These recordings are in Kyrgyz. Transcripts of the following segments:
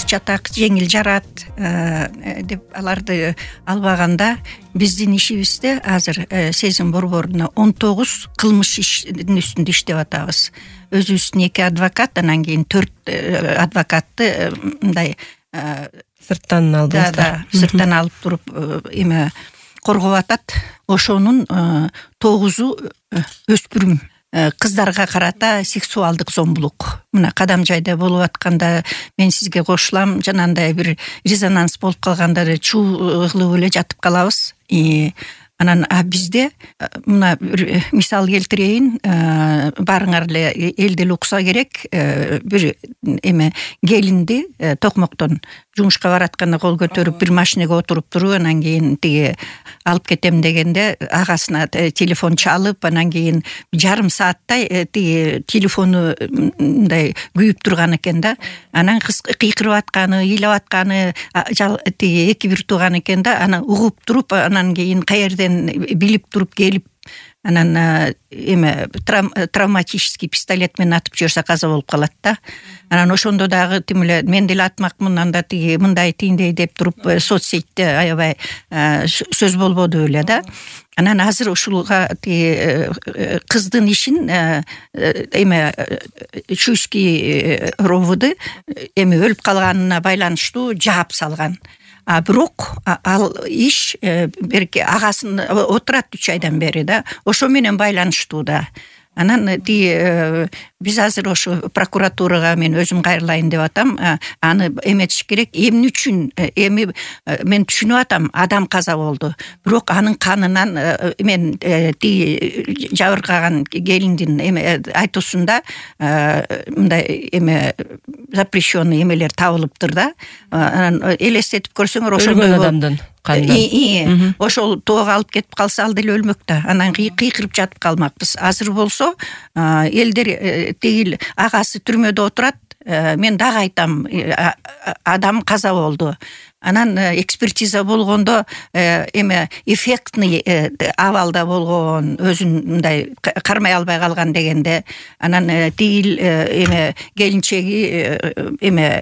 жатак, жеңил жарат деп аларды албаганда биздин ишибизде азыр сезим борборунда 19 кылмыш иштин үстүндө иштеп атабыз. Өзүбүздүн 2 адвокат, анан кийин 4 адвокатты мындай сырттан алдыңыздар. Сырттан алып туруп коргоп атат. Ошонун 9-у өспүрүм кыздарга карата сексуалдык зомбулук. Мына кадам жайда болуп атканда мен сизге кошулам, жанагындай бир резонанс болуп калганда чуу кылып эле жатып калабыз. Анан бизде мына бир мисал келтирейин, баарыңар эле элдел укса керек. Бир келинди токмоктон жумушка баратканда кол көтөрүп бир машинеге отуруп туруп, анан кийин тиги алып кетем дегенде агасына телефон чалып, анан кийин жарым сааттай тиги телефону мындай күйүп турган экен да. Анан кыз кыйкырып атканы, ыйлап атканы тиги 2-1 тууган экен да. Анан угуп туруп, анан кийин каерден билип туруп келип, анан травматический пистолет менен атып жиберсе каза болуп калат да. Анан ошондо дагы тим эле мен деле атмакмын, анда тиги мындай тийиндей деп туруп соцсетте аябай сөз болбоду эле да. Анан азыр ушулга тиги кыздын ишин Чуйский ровд өлүп калганына байланыштуу жаап салган. Бирок ал иш берки агасын отурат 3 айдан бери да. Ошо менен байланыштуу да. Анан биз азыр ошо прокуратурага мен өзүм кайрылайын деп атам. Аны эметиш керек. Эмне үчүн? Мен түшүнүп атам, адам каза болду. Бирок анын канынан мен жабыркаган келиндин айтуусунда мындай запрещенный эмелер табылыптыр да. Анан элестетип көрсөңөр ошондой адамдын канынан. Ошол тоого алып кетип калса ал деле өлмөк да. Анан кыйкырып жатып калмакпыз. Азыр болсо элдер тигил агасы түрмөдө отурат. Мен дагы айтам, адам каза болду. Анан экспертиза болгондо эффектный абалда болгон, өзүн мындай кармай албай калган дегенде, анан тигил келинчеги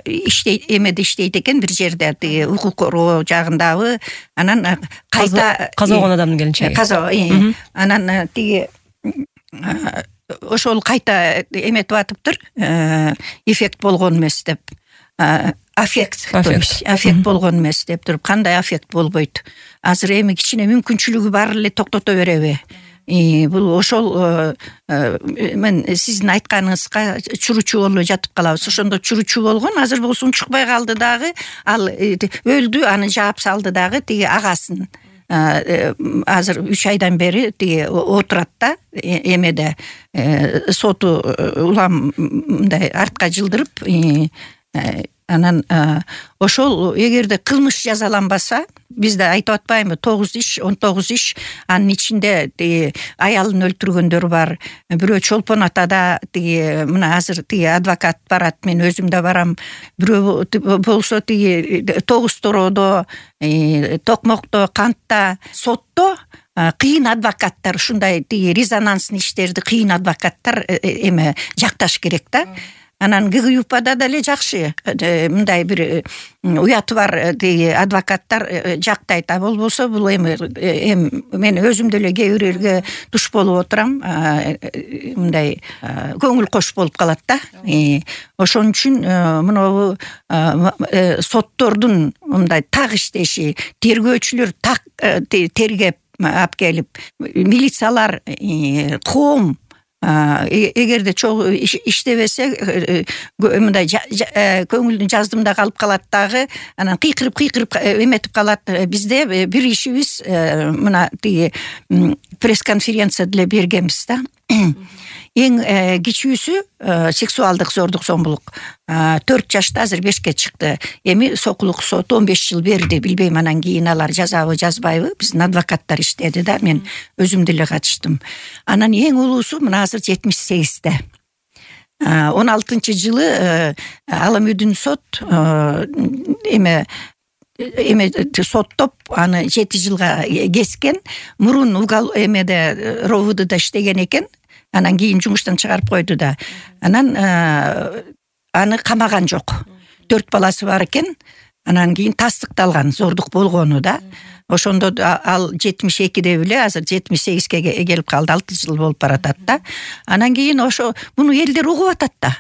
иштейт экен бир жерде, тиги укук коргоо жагындагы. Анан кайта каза болгон адамдын келинчеги. Каза. Анан тиги ошол кайта эметип атыптыр. Эффект болгон эмес деп. Аффект болгон эмес деп туруп, кандай аффект болбойт. Азыр кичине мүмкүнчүлүгү бар эле токтото береби? Бул ошол мен сиздин айтканыңызга чуручу болуп жатып калабыз. Ошондо чуручу болгон, азыр болсо унчукпай калды дагы, ал өлдү, аны жаап салды дагы тиги агасын. Азыр 3 айдан бери тиги отурат да, эмеде соту улам мындай артка жылдырып, анан ошол эгерде кылмыш жазаланбаса, бизде айтып атпаймынбы, 19 иш, анын ичинде аялын өлтүргөндөр бар. Бирөө Чолпон атада тиги мына азыр тиги адвокат барат, мен өзүм да барам. Бирөө болсо тиги Тогуз Тороодо, Токмокто, Кантта, сотто кыйын адвокаттар, ушундай тиги резонансный иштерди кыйын адвокаттар жакташ керек да. Анан ГГЮПада деле жакшы, мындай бир уяты бар адвокаттар жактайт. Болбосо бул мен өзүм деле кээ бирерге туш болуп отурам, мындай көңүл кош болуп калат да. Ошон үчүн мына соттордун мындай так иштеши, тергөөчүлөр так тергеп алып келип, милициялар, коом эгерде чогуу иштебесе, мындай көңүлдүн жаздымда калып калат дагы, анан кыйкырып эметип калат. Бизде бир ишибиз мына тиги пресс-конференция деле бергенбиз да. Эң кичүүсү сексуалдык зордук зомбулук 4 жашта, азыр 5ке чыкты. Эми сокулук сот 15 жыл берди, билбейм анан кийин алар жазабы жазбайбы. Биздин адвокаттар иштеди да, мен өзүм деле катыштым. Анан эң улуусу мына азыр 78-те. 16-жылы Аламүдүн сот соттоп аны 7 жылга кескен. Мурун ровдда иштеген экен. Анан кийин жумуштан чыгарып койду да. Анан аны камаган жок. 4 баласы бар экен. Анан кийин тастыкталган, зордук болгону да. Ошондо ал 72-де беле, азыр 78-ге келип калды, 6 жыл болуп баратат да. Анан кийин ошо муну элдер угуп атат да.